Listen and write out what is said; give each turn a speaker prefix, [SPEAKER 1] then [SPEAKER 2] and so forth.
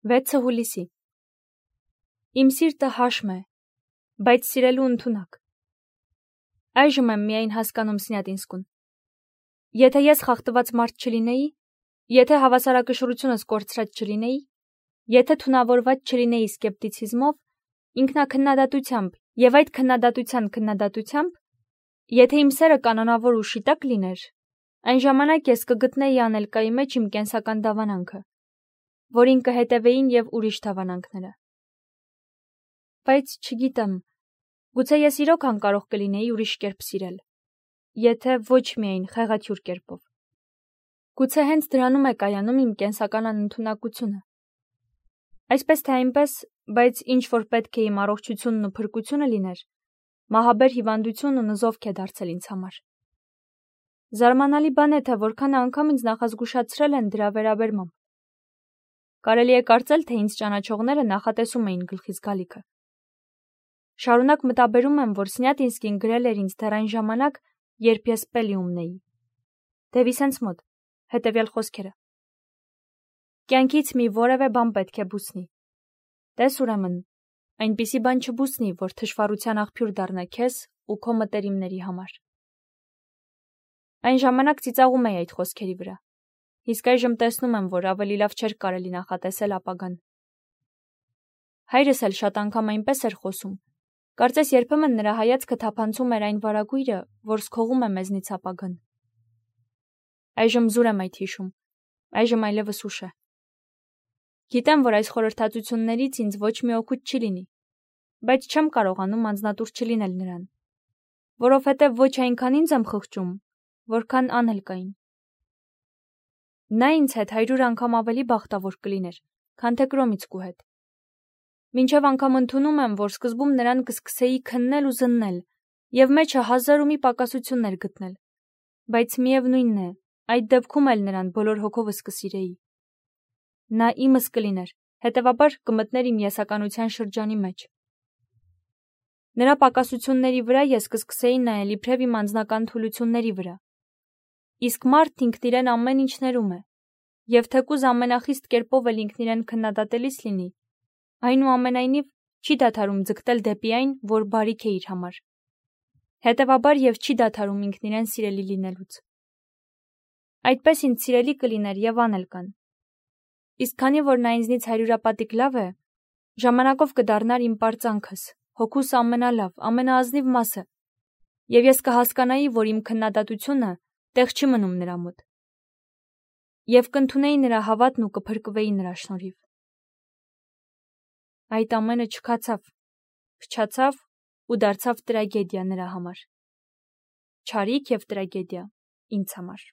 [SPEAKER 1] 6 հուլիսի։ Իմ սիրտը հաշմ է, բայց սիրելու ընդունակ։ Այժմ եմ միայն հասկանում Սնյատինսկուն։ Եթե ես խախտված մարդ չլինեի, եթե հավասարակշռությունս կորցրած չլինեի, եթե թունավորված չլինեի սկեպտիցիզմով, ինքնակննադատությամբ եւ այդ քննադատության քննադատությամբ, եթե իմ սերը կանոնավոր ու շիտակ լիներ, այն ժամանակ ես կգտնեի անելկայի մեջ իմ կենսական դավանանքը, որին կհետևեին եւ ուրիշ դավանանքները։ Բայց չգիտեմ, գուցե ես իրոք անկարող կլինեի ուրիշ կերպ սիրել, եթե ոչ միայն խեղաթյուրք կերպով։ Գուցե հենց դրանում է կայանում իմ կենսական անընդունակությունը։ Այսպես թե այնպես, բայց ինչ որ պետք է իմ առողջությունն ու փրկությունը լիներ, մահաբեր հիվանդությունն ու նզովք է դարձել ինձ համար։ Զարմանալի բան է, թե որքան անգամ ինձ նախազգուշացրել են դրա վերաբերմամբ։ Կարելի է կարծել, թե ինձ ճանաչողները նախատեսում էին գլխիս գալիքը։ Շարունակ մտաբերում եմ, որ Սնյատինսկին գրել էր ինձ դեռ այն ժամանակ, երբ ես Պելիումն էի։ Դևիսենց մոտ, հետևյալ խոսքերը. Կյանքից մի որևէ բան պետք է բուսնի։ Տես ուրեմն, այնպիսի բան չբուսնի, որ թշվառության աղբյուր դառնա քեզ ու քո մտերիմների համար։ Այն ժամանակ ծիծաղում էի այդ խոսքերի վրա։ Իսկ այժմ տեսնում եմ, որ ավելի լավ չէր կարելի նախատեսել ապագան։ Հայրս էլ շատ անգամ այնպես էր խոսում։ Կարծես երբեմն նրա հայացքը թափանցում էր այն վարագույրը, որ սքողում է մեզնից ապագան։ Այժմ զուր եմ այդ հիշում։ Այժմ այլևս ուշ է։ Գիտեմ, որ այս խորհրդածություններից ինձ ոչ մի օգուտ չի լինի, բայց չեմ կարողանում անձնատուր չլինել նրան, որովհետև ոչ այնքան ինձ եմ խղճում, որքան անհելկային։ Նա ինձ հետ 100 անգամ ավելի բախտավոր կլիներ, քան թե Կրոմիցկու հետ։ Մինչև անգամ ընդունում եմ, որ սկզբում նրան կսկսեի քննել ու զննել, եւ մեջը 1000 ու մի պակասություններ գտնել, բայց միևնույնն է, այդ դեպքում էլ նրան բոլոր հոգովս կսիրեի։ Նա իմս կլիներ, հետևաբար կմտներ իմ եսականության շրջանի մեջ։ Նրա պակասությունների վրա ես կսկսեի նայել իբրև իմ անձնական թուլությունների վրա։ Իսկ մարդ ինքն իրեն ամեն ինչ ներում է, եւ թեկուզ ամենախիստ կերպով էլ ինքն իրեն քննադատելիս լինի, այնուամենայնիվ չի դադարում ձգտել դեպի այն, որ բարիք է իր համար։ Հետևաբար եւ չի դադարում ինքն իրեն սիրելի լինելուց։ Այդպես ինձ սիրելի կլիներ եւ անելկան։ Իսկ քանի որ նա ինձնից 100-ապատիկ լավ է, ժամանակով կդառնար իմ պարծանքս, հոգուս ամենալավ, ամենաազնիվ մասը, եւ ես կհասկանայի, որ իմ քննադատությունը տեղ չի մնում նրա մոտ։ Եվ կընդունեի նրա հավատն ու կփրկվեի նրա շնորհիվ։ Այդ ամենը չքացավ, փչացավ ու դարձավ տրագեդիա նրա համար։ Չարիք եւ տրագեդիա ինձ համար։